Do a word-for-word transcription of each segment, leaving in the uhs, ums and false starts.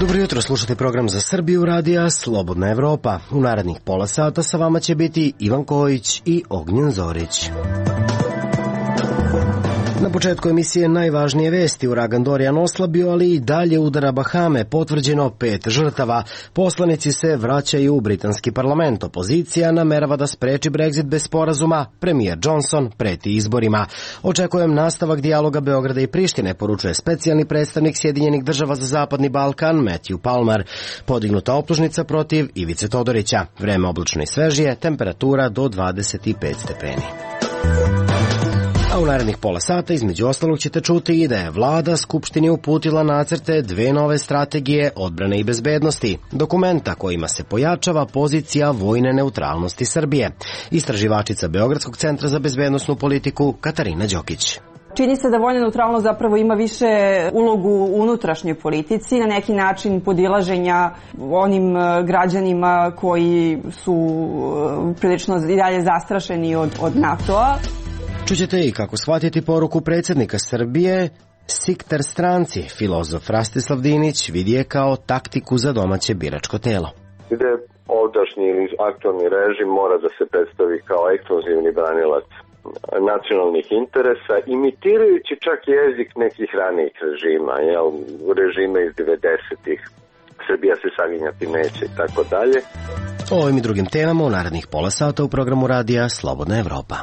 Dobro jutro, slušate program za Srbiju radija Slobodna Evropa. U narednih pola sata sa vama će biti Ivan Kojić i Ognjen Zorić. Na početku emisije najvažnije vesti. Uragan Dorian oslabio, ali i dalje udara Bahame. Potvrđeno pet žrtava. Poslanici se vraćaju u britanski parlament. Opozicija namerava da spreči Brexit bez sporazuma. Premijer Johnson preti izborima. Očekujem nastavak dijaloga Beograda i Prištine, poručuje specijalni predstavnik Sjedinjenih država za Zapadni Balkan Matthew Palmer. Podignuta optužnica protiv Ivice Todorića. Vreme oblačno i svežije, temperatura do dvadeset pet stepeni. A u narednih pola sata između ostalog ćete čuti i da je vlada Skupštini uputila nacrte dve nove strategije odbrane i bezbednosti, dokumenta kojima se pojačava pozicija vojne neutralnosti Srbije. Istraživačica Beogradskog centra za bezbednosnu politiku Katarina Đokić. Čini se da vojna neutralnost zapravo ima više ulogu u unutrašnjoj politici, na neki način podilaženja onim građanima koji su prilično i dalje zastrašeni od, od NATO-a. Čućete i kako shvatiti poruku predsjednika Srbije, Sikter stranci. Filozof Rastislav Dinić vidi je kao taktiku za domaće biračko telo. Gde ovdašnji ili aktualni režim mora da se predstavi kao ekskluzivni branilac nacionalnih interesa, imitirajući čak jezik nekih ranijih režima, jel, režime iz devedesetih. Srbija se saginjati neće i tako dalje. O ovim i drugim temama u narednih pola sata u programu radija Slobodna Evropa.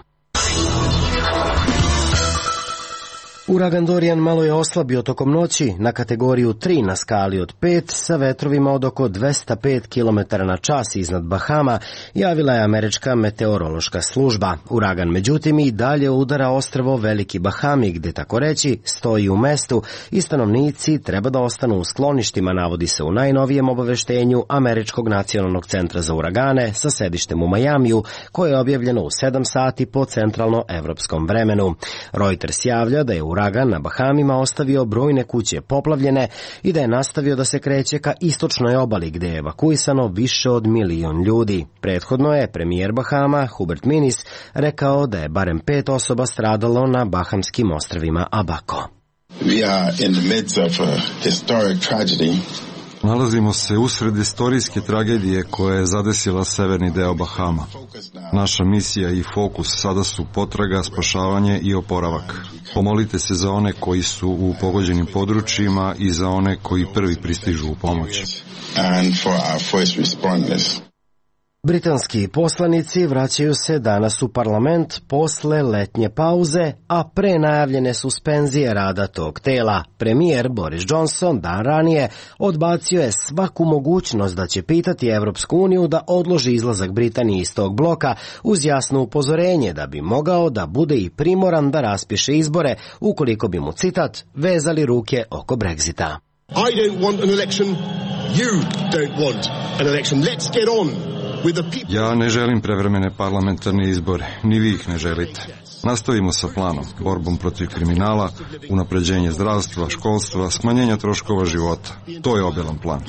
Uragan Dorian malo je oslabio tokom noći na kategoriju tri na skali od pet sa vetrovima od oko dvesta pet kilometara na čas iznad Bahama, javila je američka meteorološka služba. Uragan međutim i dalje udara ostrvo Veliki Bahami, gde tako reći stoji u mestu i stanovnici treba da ostanu u skloništima, navodi se u najnovijem obaveštenju Američkog nacionalnog centra za uragane sa sedištem u Majamiju, koje je objavljeno u sedam sati po centralno-evropskom vremenu. Reuters javlja da je uragan na Bahamima ostavio brojne kuće poplavljene i da je nastavio da se kreće ka istočnoj obali, gde je evakuisano više od milion ljudi. Prethodno je premijer Bahama Hubert Minnis rekao da je barem pet osoba stradalo na Bahamskim ostrvima Abaco. We are in the midst of a historic tragedy. Nalazimo se usred istorijske tragedije koja je zadesila severni deo Bahama. Naša misija i fokus sada su potraga, spašavanje i oporavak. Pomolite se za one koji su u pogođenim područjima i za one koji prvi pristižu u pomoć. Britanski poslanici vraćaju se danas u parlament posle letnje pauze, a pre najavljene suspenzije rada tog tela. Premijer Boris Johnson dan ranije odbacio je svaku mogućnost da će pitati Evropsku uniju da odloži izlazak Britanije iz tog bloka uz jasno upozorenje da bi mogao da bude i primoran da raspiše izbore ukoliko bi mu, citat, vezali ruke oko Brexita. I don't want an election, you don't want an election. Let's get on. Ja ne želim prevremene parlamentarne izbore, ni vi ih ne želite. Nastavimo sa planom, borbom protiv kriminala, unapređenje zdravstva, školstva, smanjenja troškova života. To je obilan plan.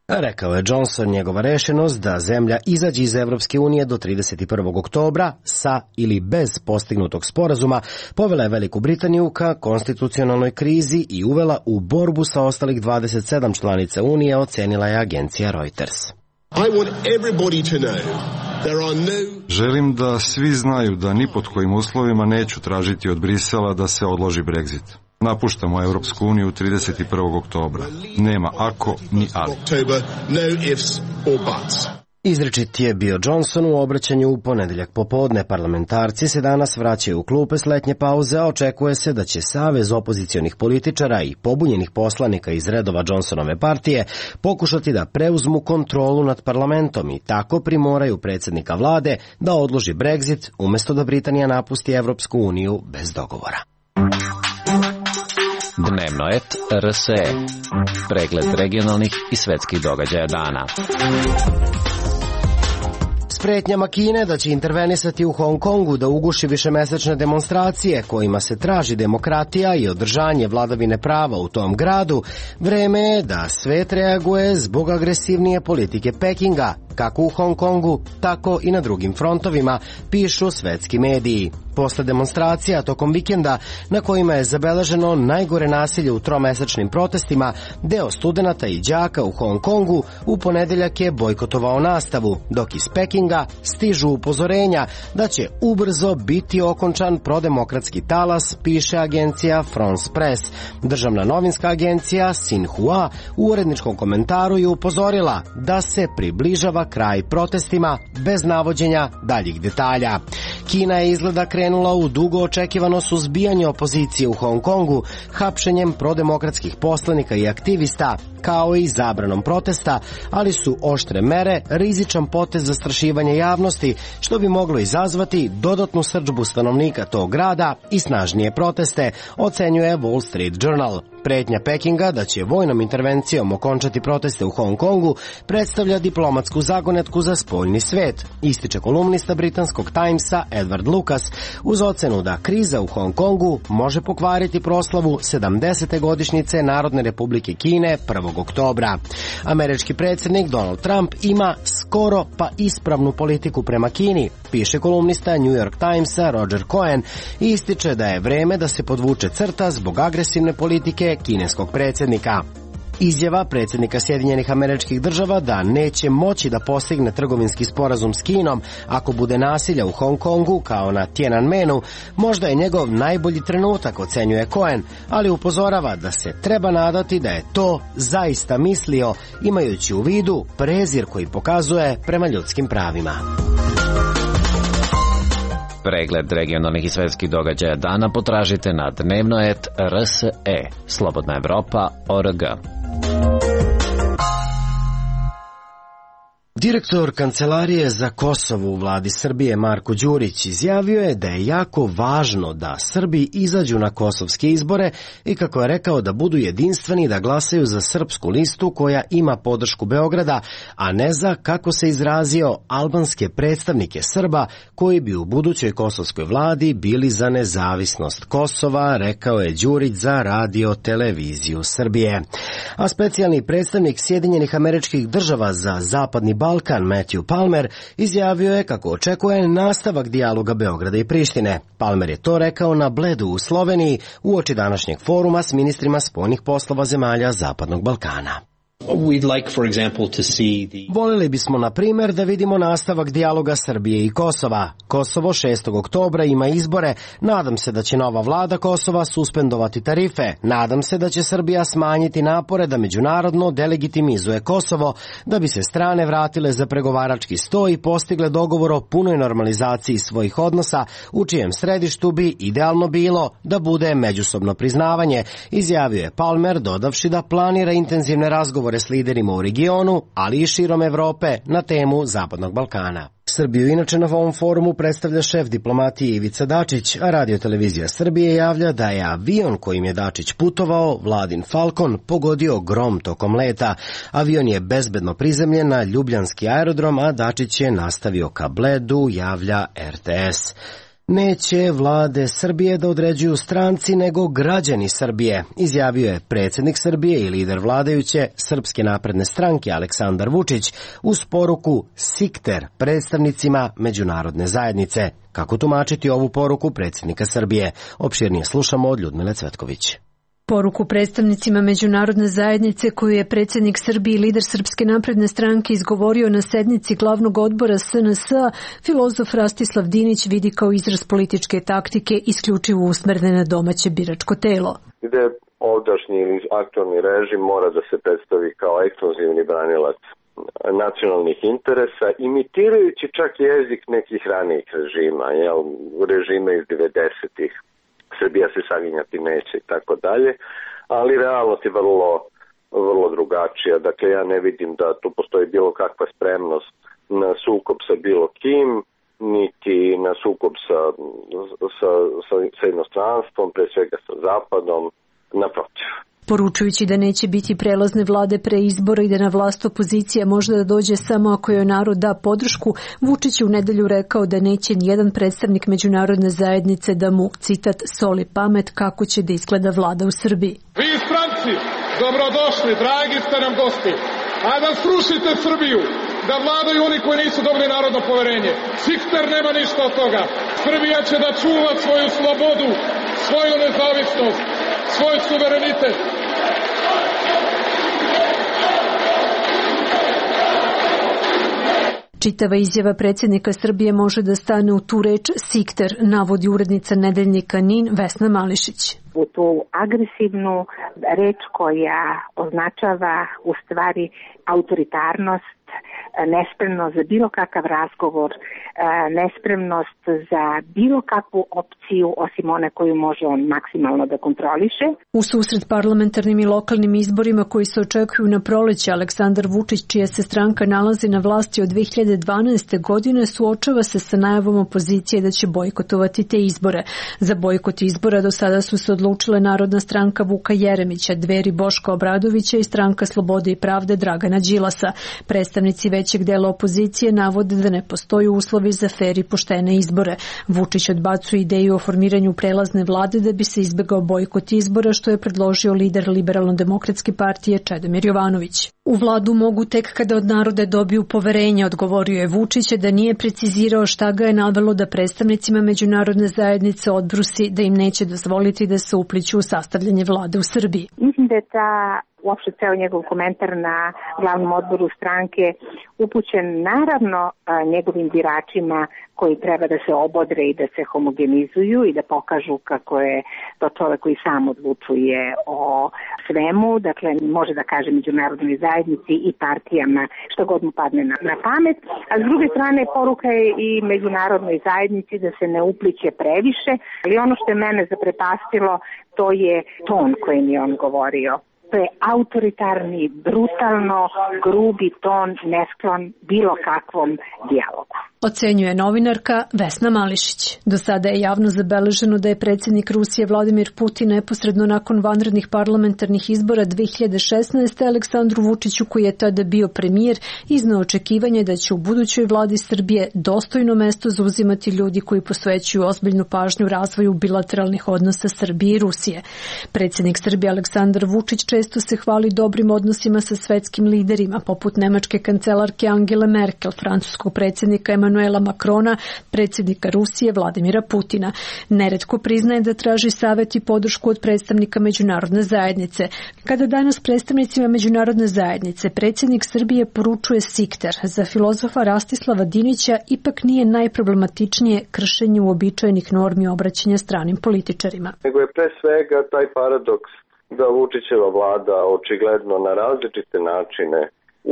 Rekao je Johnson njegova rešenost da zemlja izađe iz Evropske unije do trideset prvog oktobra sa ili bez postignutog sporazuma povela je Veliku Britaniju ka konstitucionalnoj krizi i uvela u borbu sa ostalih dvadeset sedam članica Unije, ocenila je agencija Reuters. Želim da svi znaju da ni pod kojim uslovima neću tražiti od Brisela da se odloži Brexit. Napuštamo Evropsku uniju trideset prvog oktobra. Nema ako ni ali. Izričit je bio Johnson u obraćanju u ponedeljak popodne. Parlamentarci se danas vraćaju u klupe s letnje pauze, a očekuje se da će Savez opozicionih političara i pobunjenih poslanika iz redova Johnsonove partije pokušati da preuzmu kontrolu nad parlamentom i tako primoraju predsjednika vlade da odloži Brexit umjesto da Britanija napusti Evropsku uniju bez dogovora. Dnevnoet R S E. Pregled regionalnih i svetskih događaja dana. S pretnjama Kine da će intervenisati u Hong Kongu da uguši višemesečne demonstracije kojima se traži demokratija i održanje vladavine prava u tom gradu, vreme je da svet reaguje zbog agresivnije politike Pekinga, kako u Hong Kongu, tako i na drugim frontovima, pišu svetski mediji. Posle demonstracija tokom vikenda na kojima je zabeleženo najgore nasilje u tromesečnim protestima, deo studenata i đaka u Hong Kongu u ponedeljak je bojkotovao nastavu, dok iz Pekinga stižu upozorenja da će ubrzo biti okončan prodemokratski talas, piše agencija France Press. Državna novinska agencija Xinhua u uredničkom komentaru je upozorila da se približava kraj protestima bez navođenja daljih detalja. Kina je izgleda krenula u dugo očekivano suzbijanje opozicije u Hong Kongu, hapšenjem prodemokratskih poslanika i aktivista, kao i zabranom protesta, ali su oštre mere rizičan potez zastrašivanja javnosti, što bi moglo izazvati dodatnu srdžbu stanovnika tog grada i snažnije proteste, ocenjuje Wall Street Journal. Pretnja Pekinga da će vojnom intervencijom okončati proteste u Hong Kongu predstavlja diplomatsku zagonetku za spoljni svet, ističe kolumnista britanskog Timesa Edward Lucas, uz ocenu da kriza u Hong Kongu može pokvariti proslavu sedamdesete godišnjice Narodne republike Kine prvog oktobra. Američki predsjednik Donald Trump ima skoro pa ispravnu politiku prema Kini, piše kolumnista New York Timesa Roger Cohen i ističe da je vreme da se podvuče crta zbog agresivne politike kineskog predsjednika. Izjava predsjednika Sjedinjenih Američkih Država da neće moći da postigne trgovinski sporazum s Kinom ako bude nasilja u Hong Kongu kao na Tiananmenu, možda je njegov najbolji trenutak, ocenjuje Cohen, ali upozorava da se treba nadati da je to zaista mislio, imajući u vidu prezir koji pokazuje prema ljudskim pravima. Pregled regionalnih i svetskih događaja dana potražite na dnevnoet tačka r s e, Slobodna Evropa tačka org. Direktor Kancelarije za Kosovo u vladi Srbije Marko Đurić izjavio je da je jako važno da Srbi izađu na kosovske izbore i, kako je rekao, da budu jedinstveni, da glasaju za srpsku listu koja ima podršku Beograda, a ne za, kako se izrazio, albanske predstavnike Srba koji bi u budućoj kosovskoj vladi bili za nezavisnost Kosova, rekao je Đurić za Radio Televiziju Srbije. A specijalni predstavnik Sjedinjenih Američkih Država za Zapadni Balkan Matthew Palmer izjavio je kako očekuje nastavak dijaloga Beograda i Prištine. Palmer je to rekao na Bledu u Sloveniji uoči današnjeg foruma s ministrima spoljnih poslova zemalja Zapadnog Balkana. Voljeli bismo, na primjer, da vidimo nastavak dijaloga Srbije i Kosova. Kosovo šestog oktobra ima izbore. Nadam se da će nova vlada Kosova suspendovati tarife. Nadam se da će Srbija smanjiti napore da međunarodno delegitimizuje Kosovo, da bi se strane vratile za pregovarački sto i postigle dogovor o punoj normalizaciji svojih odnosa, u čijem središtu bi idealno bilo da bude međusobno priznavanje, izjavio je Palmer, dodavši da planira intenzivne razgovore s liderima u regionu, ali i širom Evrope na temu Zapadnog Balkana. Srbiju inače na ovom forumu predstavlja šef diplomatije Ivica Dačić, a Radio Televizija Srbije javlja da je avion kojim je Dačić putovao, Vladin Falcon, pogodio grom tokom leta. Avion je bezbedno prizemljen na Ljubljanski aerodrom, a Dačić je nastavio ka Bledu, javlja R T S. Neće vlade Srbije da određuju stranci, nego građani Srbije, izjavio je predsjednik Srbije i lider vladajuće Srpske napredne stranke Aleksandar Vučić uz poruku Sikter predstavnicima međunarodne zajednice. Kako tumačiti ovu poruku predsjednika Srbije? Opširnije slušamo od Ljudmile Cvetković. Poruku predstavnicima međunarodne zajednice koju je predsjednik Srbije i lider Srpske napredne stranke izgovorio na sednici glavnog odbora S N S-a, filozof Rastislav Dinić vidi kao izraz političke taktike isključivo usmerne na domaće biračko telo. Gde ovdašnji ili aktualni režim mora da se predstavi kao ekskluzivni branilac nacionalnih interesa, imitirajući čak jezik nekih ranijih režima, jel, režime iz devedesetih. Srbija se saginjati neće i tako dalje, ali realnost je vrlo, vrlo drugačija. Dakle, ja ne vidim da tu postoji bilo kakva spremnost na sukob sa bilo kim, niti na sukob sa, sa, sa, sa inostranstvom, pre svega sa Zapadom, naprotiv. Poručujući da neće biti prelazne vlade pre izbora i da na vlast opozicija može da dođe samo ako joj narod da podršku, Vučić je u nedelju rekao da neće nijedan predstavnik međunarodne zajednice da mu, citat, soli pamet kako će da izgleda vlada u Srbiji. Vi stranci, dobrodošli, dragi ste nam gosti, a da srušite Srbiju, da vladaju oni koji nisu dobili narodno poverenje. Sikter nema ništa od toga. Srbija će da čuva svoju slobodu, svoju nezavisnost, svoj suverenitet. Čitava izjava predsjednika Srbije može da stane u tu reč Sikter, navodi urednica nedeljnika NIN Vesna Mališić. U tu agresivnu reč koja označava u stvari autoritarnost, nespremnost za bilo kakav razgovor, nespremnost za bilo kakvu opciju osim one koju može on maksimalno da kontroliše. U susret parlamentarnim i lokalnim izborima koji se očekuju na proleće, Aleksandar Vučić, čija se stranka nalazi na vlasti od dve hiljade dvanaeste. godine, suočava se sa najavom opozicije da će bojkotovati te izbore. Za bojkot izbora do sada su se odlučile Narodna stranka Vuka Jeremića, Dveri Boška Obradovića i Stranka Slobode i pravde Dragana Đilasa. Predstavnici većeg dela opozicije navode da ne postoji uslovi za fer i poštene izbore. Vučić odbacuje ideju o formiranju prelazne vlade da bi se izbegao bojkot izbora, što je predložio lider Liberalno-demokratske partije Čedomir Jovanović. U vladu mogu tek kada od naroda dobiju poverenje, odgovorio je Vučić, da nije precizirao šta ga je navelo da predstavnicima međunarodne zajednice odbrusi da im neće dozvoliti da se upliću u sastavljanje vlade u Srbiji. Mislim da je ta uopšte ceo njegov komentar na glavnom odboru stranke upućen naravno njegovim biračima koji treba da se obodre i da se homogenizuju i da pokažu kako je to čovek koji sam odlučuje o svemu, dakle može da kaže međunarodnoj zajednici i partijama što god mu padne na, na pamet, a s druge strane poruka je i međunarodnoj zajednici da se ne upliće previše, ali ono što je mene zaprepastilo to je ton kojim je on govorio. To je autoritarni, brutalno, grubi ton, nesklon bilo kakvom dijalogu. Ocenjuje novinarka Vesna Mališić. Do sada je javno zabeleženo da je predsjednik Rusije Vladimir Putin neposredno nakon vanrednih parlamentarnih izbora dve hiljade šesnaeste. Aleksandru Vučiću, koji je tada bio premijer, izneo očekivanje da će u budućoj vladi Srbije dostojno mesto zauzimati ljudi koji posvećuju ozbiljnu pažnju razvoju bilateralnih odnosa Srbije i Rusije. Predsjednik Srbije Aleksandar Vučić često se hvali dobrim odnosima sa svetskim liderima, poput nemačke kancelarke Angele Merkel, francuskog predsjednika Emanuela Macrona, predsjednika Rusije Vladimira Putina. Neretko priznaje da traži savjet i podršku od predstavnika međunarodne zajednice. Kada danas predstavnicima međunarodne zajednice predsjednik Srbije poručuje Sikter, za filozofa Rastislava Dinića ipak nije najproblematičnije kršenje uobičajenih normi obraćanja stranim političarima. Nego je pre svega taj paradoks da Vučićeva vlada očigledno na različite načine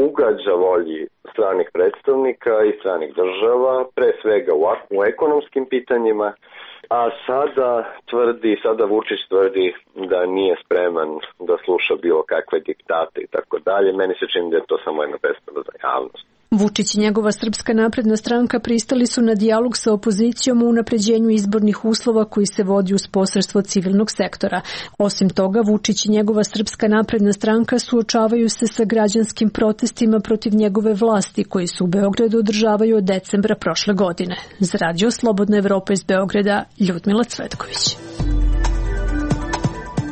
ugađa volji stranih predstavnika i stranih država, pre svega u, u ekonomskim pitanjima, a sada tvrdi, sada Vučić tvrdi da nije spreman da sluša bilo kakve diktate i tako dalje. Meni se čini da je to samo jedna predstava za javnost. Vučić i njegova Srpska napredna stranka pristali su na dijalog sa opozicijom u unapređenju izbornih uslova koji se vodi uz posredstvo civilnog sektora. Osim toga, Vučić i njegova Srpska napredna stranka suočavaju se sa građanskim protestima protiv njegove vlasti koji su u Beogradu održavaju od decembra prošle godine. Za Radio Slobodna Evropa iz Beograda, Ljudmila Cvetković.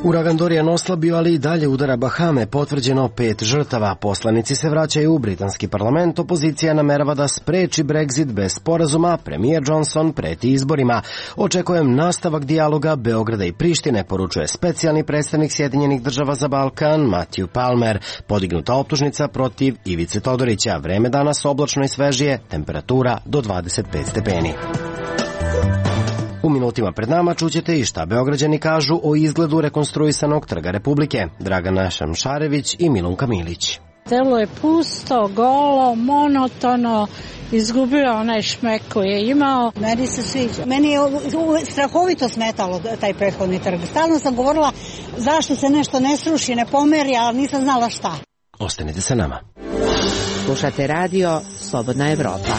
Uragan Dorian oslabio, ali i dalje udara Bahame, potvrđeno pet žrtava. Poslanici se vraćaju u britanski parlament, opozicija namerava da spreči Brexit bez sporazuma, premijer Johnson preti izborima. Očekujem nastavak dijaloga Beograda i Prištine, poručuje specijalni predstavnik Sjedinjenih država za Balkan Matthew Palmer. Podignuta optužnica protiv Ivice Todorića. Vreme danas oblačno i svežije, temperatura do dvadeset pet stepeni. U minutima pred nama čućete i šta Beograđani kažu o izgledu rekonstruisanog Trga Republike. Dragana Šamšarević i Milunka Milić. Telo je pusto, golo, monotono, izgubio onaj šmek koji je imao. Meni se sviđa. Meni je strahovito smetalo taj prethodni trg. Stalno sam govorila zašto se nešto ne sruši, ne pomeri, ali nisam znala šta. Ostanite sa nama. Slušate radio Slobodna Evropa.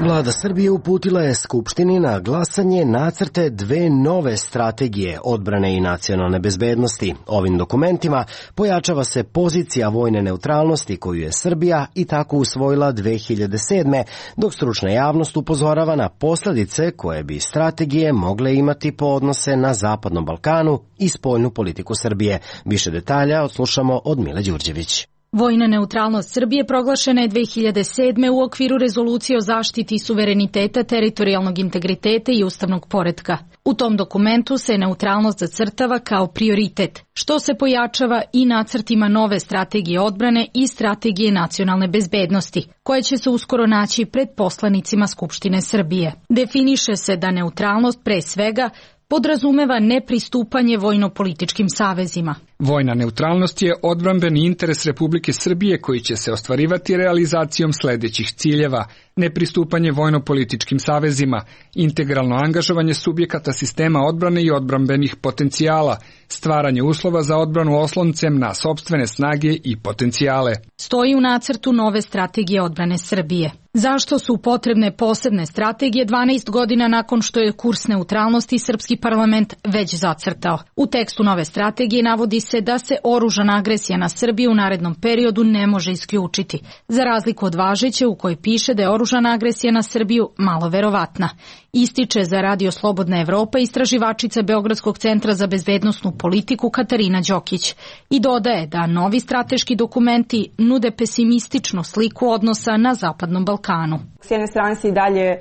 Vlada Srbije uputila je Skupštini na glasanje nacrte dve nove strategije odbrane i nacionalne bezbednosti. Ovim dokumentima pojačava se pozicija vojne neutralnosti koju je Srbija i tako usvojila dve hiljade sedme. Dok stručna javnost upozorava na posledice koje bi strategije mogle imati po odnose na Zapadnom Balkanu i spoljnu politiku Srbije. Više detalja odslušamo od Mile Đurđević. Vojna neutralnost Srbije proglašena je dve hiljade sedme u okviru rezolucije o zaštiti suvereniteta, teritorijalnog integriteta i ustavnog poretka. U tom dokumentu se neutralnost zacrtava kao prioritet, što se pojačava i nacrtima nove strategije odbrane i strategije nacionalne bezbednosti, koje će se uskoro naći pred poslanicima Skupštine Srbije. Definiše se da neutralnost pre svega podrazumeva nepristupanje vojno-političkim savezima. Vojna neutralnost je odbrambeni interes Republike Srbije koji će se ostvarivati realizacijom sledećih ciljeva: nepristupanje vojno-političkim savezima, integralno angažovanje subjekata sistema odbrane i odbrambenih potencijala, stvaranje uslova za odbranu osloncem na sopstvene snage i potencijale. Stoji u nacrtu nove strategije odbrane Srbije. Zašto su potrebne posebne strategije dvanaest godina nakon što je kurs neutralnosti srpski parlament već zacrtao? U tekstu nove strategije navodi se da se oružana agresija na Srbiju u narednom periodu ne može isključiti, za razliku od važeće u kojoj piše da je oružana agresija na Srbiju malo verovatna. Ističe za Radio Slobodna Evropa istraživačica Beogradskog centra za bezbednosnu politiku Katarina Đokić i dodaje da novi strateški dokumenti nude pesimističnu sliku odnosa na Zapadnom Balkanu. S jedne strane se i dalje e,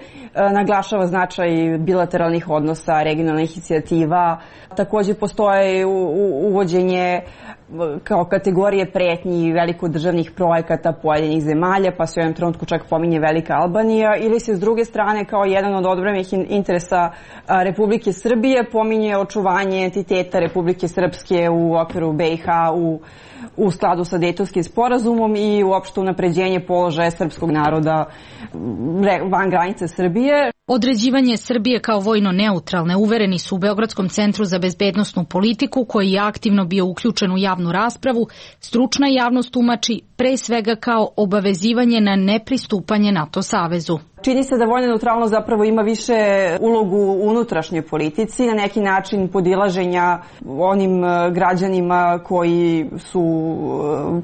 naglašava značaj bilateralnih odnosa, regionalnih inicijativa. Takođe postoje u, u, uvođenje kao kategorije pretnji velikodržavnih projekata pojedinih zemalja, pa se u jednom trenutku čak pominje Velika Albanija, ili se s druge strane kao jedan od odbrambenih interesa Republike Srbije pominje očuvanje entiteta Republike Srpske u okviru B i H u, u skladu sa Dejtonskim sporazumom i uopšte unapređenje položaja srpskog naroda van granice Srbije. Određivanje Srbije kao vojno neutralne uvereni su u Beogradskom centru za bezbednosnu politiku, koji je aktivno bio uključen u javnu raspravu, stručna javnost tumači pre svega kao obavezivanje na nepristupanje NATO savezu. Čini se da vojna neutralnost zapravo ima više ulogu u unutrašnjoj politici, na neki način podilaženja onim građanima koji su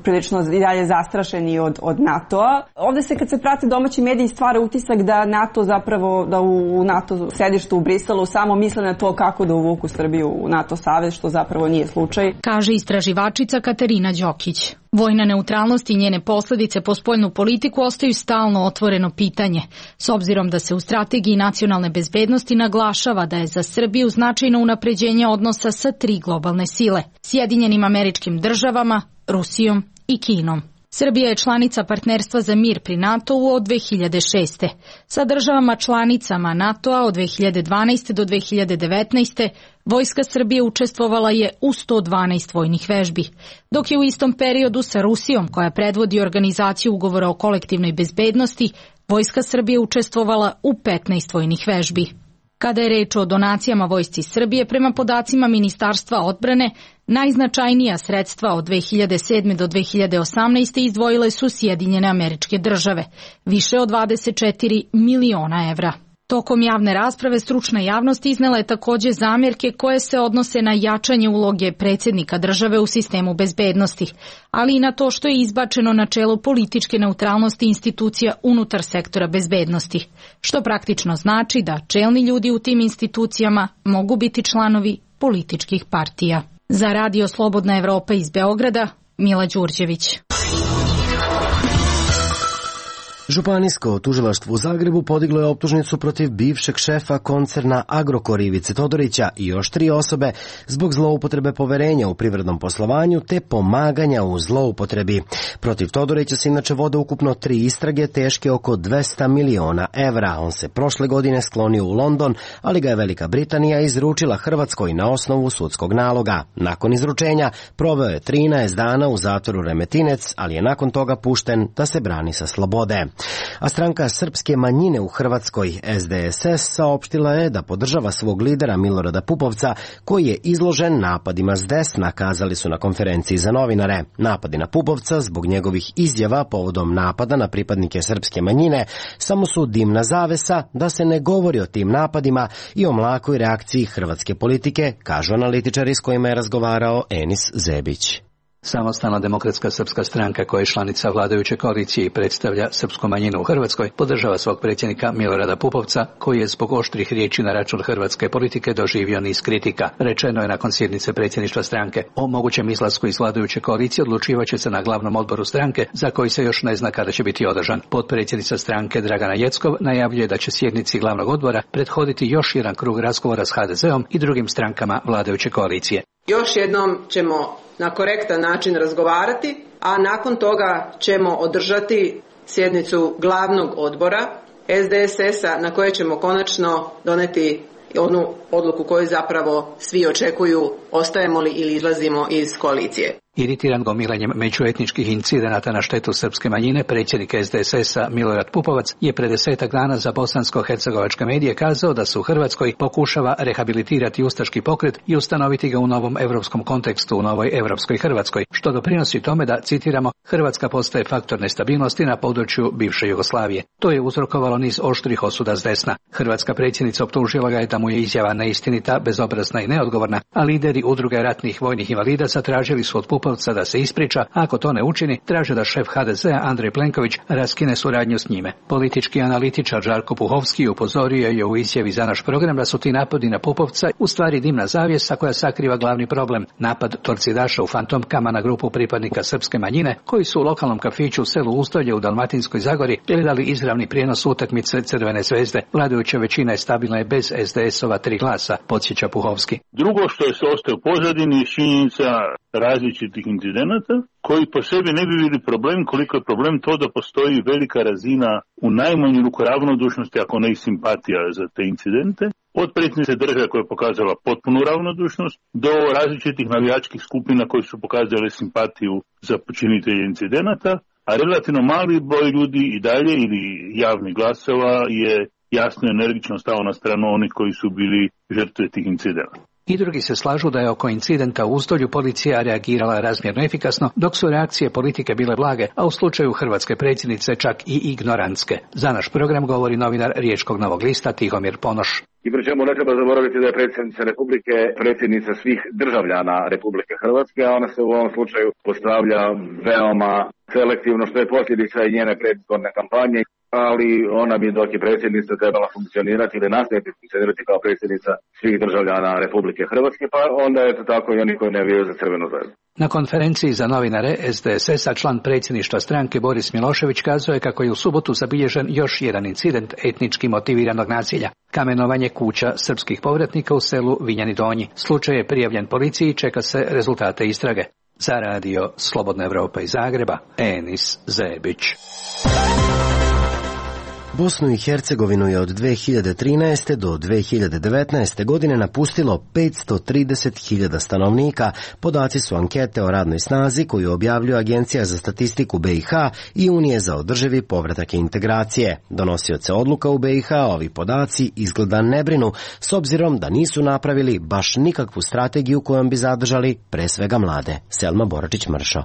prilično i dalje zastrašeni od, od NATO-a. Ovde se kad se prate domaći mediji stvara utisak da NATO zapravo, da u NATO sedištu u Briselu samo misle na to kako da uvuku Srbiju u NATO savez, što zapravo nije slučaj. Kaže istraživačica Katarina Đokić. Vojna neutralnost i njene posledice po spoljnu politiku ostaju stalno otvoreno pitanje, s obzirom da se u strategiji nacionalne bezbednosti naglašava da je za Srbiju značajno unapređenje odnosa sa tri globalne sile, Sjedinjenim Američkim Državama, Rusijom i Kinom. Srbija je članica partnerstva za mir pri NATO-u od dve hiljade šeste. Sa državama članicama NATO-a od dve hiljade dvanaeste do dve hiljade devetnaeste. Vojska Srbije učestvovala je u sto dvanaest vojnih vežbi, dok je u istom periodu sa Rusijom, koja predvodi organizaciju ugovora o kolektivnoj bezbednosti, Vojska Srbije učestvovala u petnaest vojnih vežbi. Kada je reč o donacijama Vojsci Srbije, prema podacima Ministarstva odbrane, najznačajnija sredstva od dve hiljade sedme do dve hiljade osamnaeste. izdvojile su Sjedinjene Američke Države, više od dvadeset četiri miliona evra. Tokom javne rasprave stručna javnost iznela je takođe zamjerke koje se odnose na jačanje uloge predsjednika države u sistemu bezbednosti, ali i na to što je izbačeno načelo političke neutralnosti institucija unutar sektora bezbednosti, što praktično znači da čelni ljudi u tim institucijama mogu biti članovi političkih partija. Za Radio Slobodna Evropa iz Beograda, Mila Đurđević. Županijsko tužilaštvo u Zagrebu podiglo je optužnicu protiv bivšeg šefa koncerna Agrokor Ivice Todorića i još tri osobe zbog zloupotrebe poverenja u privrednom poslovanju te pomaganja u zloupotrebi. Protiv Todorića se inače vode ukupno tri istrage teške oko dvesta miliona evra. On se prošle godine sklonio u London, ali ga je Velika Britanija izručila Hrvatskoj na osnovu sudskog naloga. Nakon izručenja proveo je trinaest dana u zatvoru Remetinec, ali je nakon toga pušten da se brani sa slobode. A stranka srpske manjine u Hrvatskoj, S D S S, saopštila je da podržava svog lidera Milorada Pupovca, koji je izložen napadima s desna, kazali su na konferenciji za novinare. Napadi na Pupovca zbog njegovih izjava povodom napada na pripadnike srpske manjine samo su dimna zavesa, da se ne govori o tim napadima i o mlakoj reakciji hrvatske politike, kažu analitičari s kojima je razgovarao Enis Zebić. Samostalna demokratska srpska stranka koja je članica vladajuće koalicije i predstavlja srpsku manjinu u Hrvatskoj podržava svog predsjednika Milorada Pupovca koji je zbog oštrih riječi na račun hrvatske politike doživio niz kritika. Rečeno je nakon sjednice predsjedništva stranke. O mogućem izlasku iz vladajuće koalicije odlučivaće se na glavnom odboru stranke za koji se još ne zna kada će biti održan. Potpredsjednica stranke Dragana Jeckov najavljuje da će sjednici glavnog odbora prethoditi još jedan krug razgovora s ha de zeom i drugim strankama vladajuće koalicije. Još jednom ćemo na korektan način razgovarati, a nakon toga ćemo održati sjednicu glavnog odbora es de es es-a na koje ćemo konačno doneti onu odluku koju zapravo svi očekuju, ostajemo li ili izlazimo iz koalicije. Iritiran gomilanjem međuetničkih incidenata na štetu srpske manjine, predsjednik es de es es-a Milorad Pupovac je pre desetak dana za bosansko-hercegovačke medije kazao da se u Hrvatskoj pokušava rehabilitirati ustaški pokret i ustanoviti ga u novom evropskom kontekstu, u novoj evropskoj Hrvatskoj, što doprinosi tome da, citiramo, Hrvatska postaje faktor nestabilnosti na području bivše Jugoslavije. To je uzrokovalo niz oštrih osuda s desna. Hrvatska predsjednica optužila ga je da mu je izjava neistinita, bezobrazna i neodgovorna, a lideri udruge ratnih vojnih invalida zatražili su od Pupovca da se ispriča, a ako to ne učini, traže da šef ha de zea Andrej Plenković raskine suradnju s njime. Politički analitičar Žarko Puhovski upozorio je u izjavi za naš program da su ti napadi na Pupovca u stvari dimna zavjesa koja sakriva glavni problem, napad torcidaša u fantomkama na grupu pripadnika srpske manjine koji su u lokalnom kafiću u selu Ustolje u Dalmatinskoj Zagori gledali izravni prijenos utakmice Crvene zvezde. Vladajuća većina je stabilna je bez es de es-ova tri glasa, podsjeća Puhovski. Drugo što je se ostaje u pozadini je činjenica različitih incidenata koji po sebi ne bi bili problem koliko je problem to da postoji velika razina u najmanju ruku ravnodušnosti, ako ne i simpatija za te incidente. Od predsjednice države koja je pokazala potpunu ravnodušnost do različitih navijačkih skupina koji su pokazali simpatiju za počinitelje incidenata, a relativno mali broj ljudi i dalje ili javnih glasova je jasno i energično stao na stranu onih koji su bili žrtve tih incidenata. I drugi se slažu da je oko incidenta u Ustolju policija reagirala razmjerno efikasno, dok su reakcije politike bile blage, a u slučaju hrvatske predsjednice čak i ignorantske. Za naš program govori novinar Riječkog Novog lista Tihomir Ponoš. I pri čemu ne treba zaboraviti da je predsjednica Republike predsjednica svih državljana Republike Hrvatske, a ona se u ovom slučaju postavlja veoma selektivno, što je posljedica i njene predizborne kampanje, ali ona bi dok je predsjednica trebala funkcionirati ili nastaviti funkcionirati kao predsjednica svih državljana Republike Hrvatske, pa onda je to tako i oni koji ne vjeruju za Crvenu zvezdu. Na konferenciji za novinare es de es es-a član predsjedništva stranke Boris Milošević kazao je kako je u subotu zabilježen još jedan incident etnički motiviranog nasilja. Kamenovanje kuća srpskih povratnika u selu Vinjani Donji. Slučaj je prijavljen policiji i čeka se rezultate istrage. Za radio Slobodna Evropa iz Zagreba, Enis Zebić. Bosnu i Hercegovinu je od dve hiljade trinaeste. do dve hiljade devetnaeste. godine napustilo petsto trideset hiljada stanovnika. Podaci su ankete o radnoj snazi koju objavljuje Agencija za statistiku be i ha i Unije za održivi povratak i integracije. Donosioce odluka u be i ha ovi podaci izgleda ne brinu, s obzirom da nisu napravili baš nikakvu strategiju kojom bi zadržali pre svega mlade. Selma Boračić-Mršo.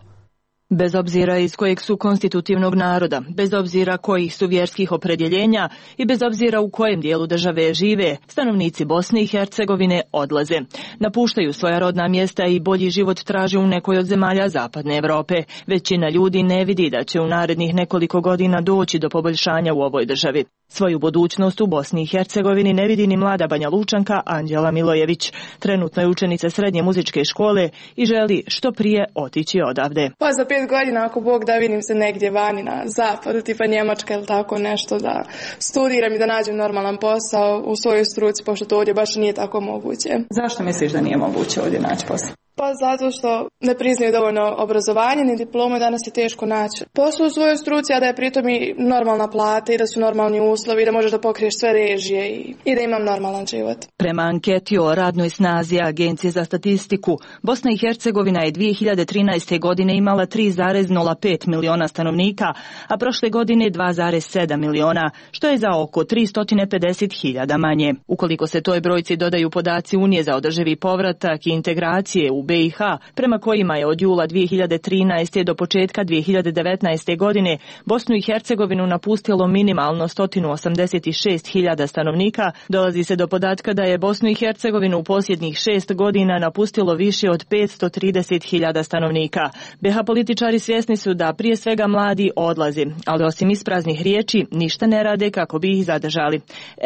Bez obzira iz kojeg su konstitutivnog naroda, bez obzira kojih su vjerskih opredjeljenja i bez obzira u kojem dijelu države žive, stanovnici Bosne i Hercegovine odlaze. Napuštaju svoja rodna mjesta i bolji život traže u nekoj od zemalja Zapadne Evrope. Većina ljudi ne vidi da će u narednih nekoliko godina doći do poboljšanja u ovoj državi. Svoju budućnost u Bosni i Hercegovini ne vidi ni mlada Banja Lučanka Anđela Milojević. Trenutno je učenica srednje muzičke škole i želi što prije otići odavde. Pa za pet godina, ako Bog da, vidim se negdje vani na zapadu, tipa Njemačka ili tako nešto, da studiram i da nađem normalan posao u svojoj struci, pošto to ovdje baš nije tako moguće. Zašto misliš da nije moguće ovdje naći posao? Pa zato što ne priznaju dovoljno obrazovanje ni diplome, danas je teško naći posao u svojoj struci, a da je pritom i normalna plata i da su normalni uslovi, da možeš da pokriješ sve režije i, i da imam normalan život. Prema anketi o radnoj snazi Agencije za statistiku, Bosna i Hercegovina je dve hiljade trinaeste. godine imala tri zarez nula pet miliona stanovnika, a prošle godine dva zarez sedam miliona, što je za oko tristo pedeset hiljada manje. Ukoliko se toj brojci dodaju podaci Unije za održivi povratak i integracije u be i ha, prema kojima je od jula dvije hiljade trinaeste. do početka dvije hiljade devetnaeste. godine Bosnu i Hercegovinu napustilo minimalno sto osamdeset šest hiljada stanovnika, dolazi se do podatka da je Bosnu i Hercegovinu u posljednjih šest godina napustilo više od petsto trideset hiljada stanovnika. be ha političari svjesni su da prije svega mladi odlazi, ali osim ispraznih riječi ništa ne rade kako bi ih zadržali.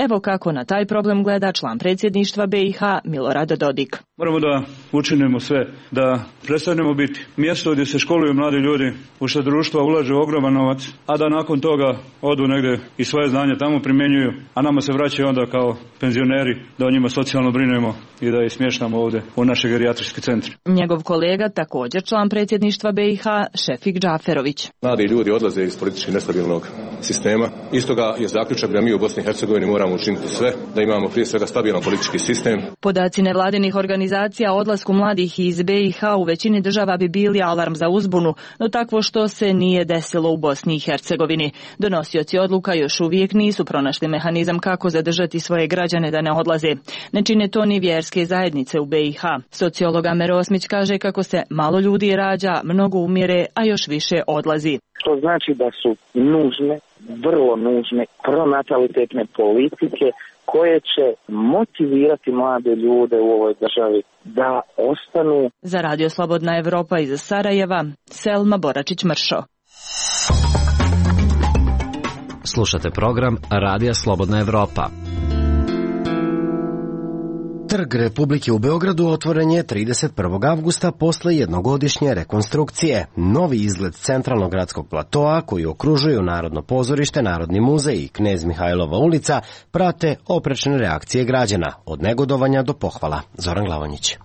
Evo kako na taj problem gleda član predsjedništva be i ha Milorad Dodik. Moramo da učinimo sve da prestanemo biti mjesto gdje se školuju mladi ljudi, u što društva ulaže ogroman novac, a da nakon toga odu negdje i svoje znanje tamo primjenjuju, a nama se vraćaju onda kao penzioneri da o njima socijalno brinemo i da ih smještamo ovdje u naše gerijatrijske centre. Njegov kolega, također član predsjedništva be i ha, Šefik Džaferović. Mladi ljudi odlaze iz politički nestabilnog sistema. Istoga je zaključak da mi u Bosni i Hercegovini moramo učiniti sve da imamo prije svega stabilan politički sistem. Podaci nevladinih organizacija o odlasku mladih iz be i ha u većini država bi bili alarm za uzbunu, no takvo što se nije desilo u Bosni i Hercegovini. Donosioci odluka još uvijek nisu pronašli mehanizam kako zadržati svoje građane da ne odlaze. Ne čine to ni vjerske zajednice u be i ha. Sociolog Amer Osmić kaže kako se malo ljudi rađa, mnogo umire, a još više odlazi. Što znači da su nužne, vrlo nužne pronatalitetne politike koje će motivirati mlade ljude u ovoj državi da ostanu. Za Radio Slobodna Evropa iz Sarajeva, Selma Boračić-Mršo. Slušate program Radija Slobodna Evropa. Trg Republike u Beogradu otvoren je trideset prvog avgusta posle jednogodišnje rekonstrukcije. Novi izgled centralnog gradskog platoa, koji okružuju Narodno pozorište, Narodni muzej i Knez Mihajlova ulica, prate oprečne reakcije građana, od negodovanja do pohvala. Zoran Glavonjić.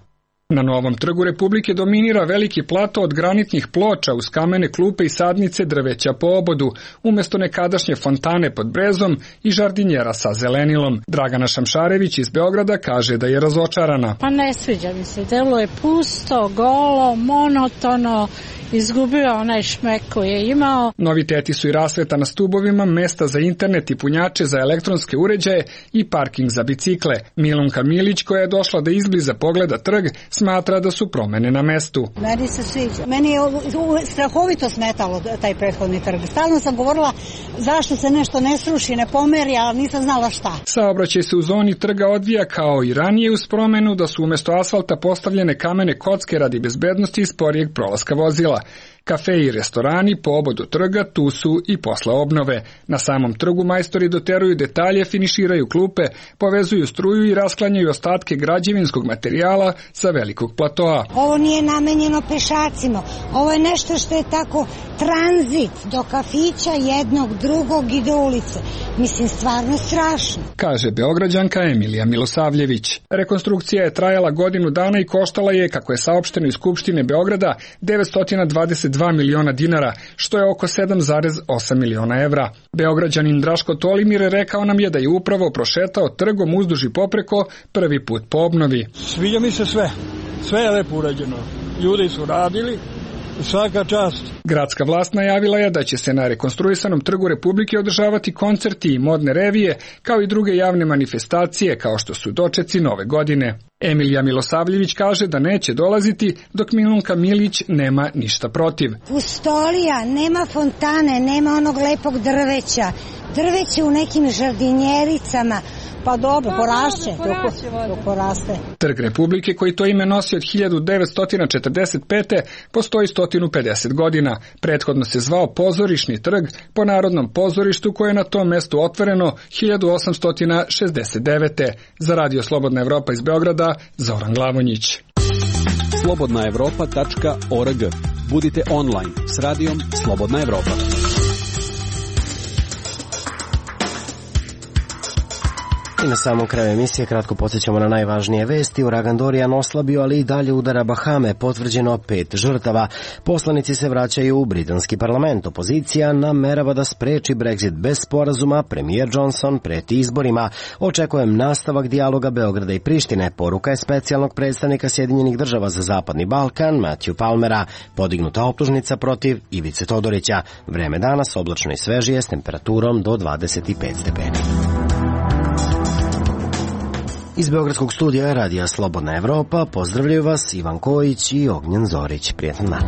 Na novom trgu Republike dominira veliki plato od granitnih ploča uz kamene klupe i sadnice drveća po obodu, umjesto nekadašnje fontane pod brezom i žardinjera sa zelenilom. Dragana Šamšarević iz Beograda kaže da je razočarana. Pa ne sviđa mi se, delo je pusto, golo, monotono, izgubio onaj šmek koji je imao. Noviteti su i rasveta na stubovima, mesta za internet i punjače za elektronske uređaje i parking za bicikle. Milunka Milić, koja je došla da izbliza pogleda trg, smatra da su promene na mestu. Meni se sviđa. Meni je strahovito smetalo taj prethodni trg. Stalno sam govorila zašto se nešto ne sruši, ne pomeri, ali nisam znala šta. Saobraćaj se u zoni trga odvija kao i ranije uz promenu da su umjesto asfalta postavljene kamene kocke radi bezbednosti i sporijeg prolaska vozila. Kafe i restorani po obodu trga tu su i posle obnove. Na samom trgu majstori doteruju detalje, finiširaju klupe, povezuju struju i rasklanjaju ostatke građevinskog materijala sa velikog platoa. Ovo nije namenjeno pešacima. Ovo je nešto što je tako tranzit do kafića jednog, drugog i do ulice. Mislim, stvarno strašno. Kaže Beograđanka Emilija Milosavljević. Rekonstrukcija je trajala godinu dana i koštala je, kako je saopšteno iz Skupštine Beograda, devetsto dvadeset dva miliona dinara, što je oko sedam zarez osam miliona evra. Beograđanin Draško Tolimir rekao nam je da je upravo prošetao trgom uzduž i popreko prvi put po obnovi. Sviđa mi se sve. Sve je lepo urađeno. Ljudi su radili. Svaka čast. Gradska vlast najavila je da će se na rekonstruisanom trgu Republike održavati koncerti i modne revije, kao i druge javne manifestacije, kao što su dočeci nove godine. Emilija Milosavljević kaže da neće dolaziti, dok Milunka Milić nema ništa protiv. Pustolija, nema fontane, nema onog lepog drveća. Drveće u nekim žardinjericama. Pa dobro, porašće, to poraste. Trg Republike, koji to ime nosi od hiljadu devetsto četrdeset pete. postoji sto pedeset godina. Prethodno se zvao Pozorišni trg po Narodnom pozorištu koje je na tom mestu otvoreno hiljadu osamsto šezdeset devete. Za Radio Slobodna Evropa iz Beograda, Zoran Glavonjić. slobodna evropa tačka org. Budite online s radijom Slobodna Evropa. I na samom kraju emisije kratko podsjećamo na najvažnije vesti. Uragan Dorian oslabio, ali i dalje udara Bahame, potvrđeno pet žrtava. Poslanici se vraćaju u britanski parlament. Opozicija namerava da spreči Brexit bez sporazuma. Premijer Johnson preti izborima. Očekujem nastavak dijaloga Beograda i Prištine. Poruka je specijalnog predstavnika Sjedinjenih država za Zapadni Balkan, Matthew Palmera. Podignuta optužnica protiv Ivice Todorića. Vreme danas oblačno i svežije s temperaturom do dvadeset pet stepeni. Iz Beogradskog studija Radija Slobodna Evropa pozdravljaju vas Ivan Kojić i Ognjen Zorić. Prijetan dan.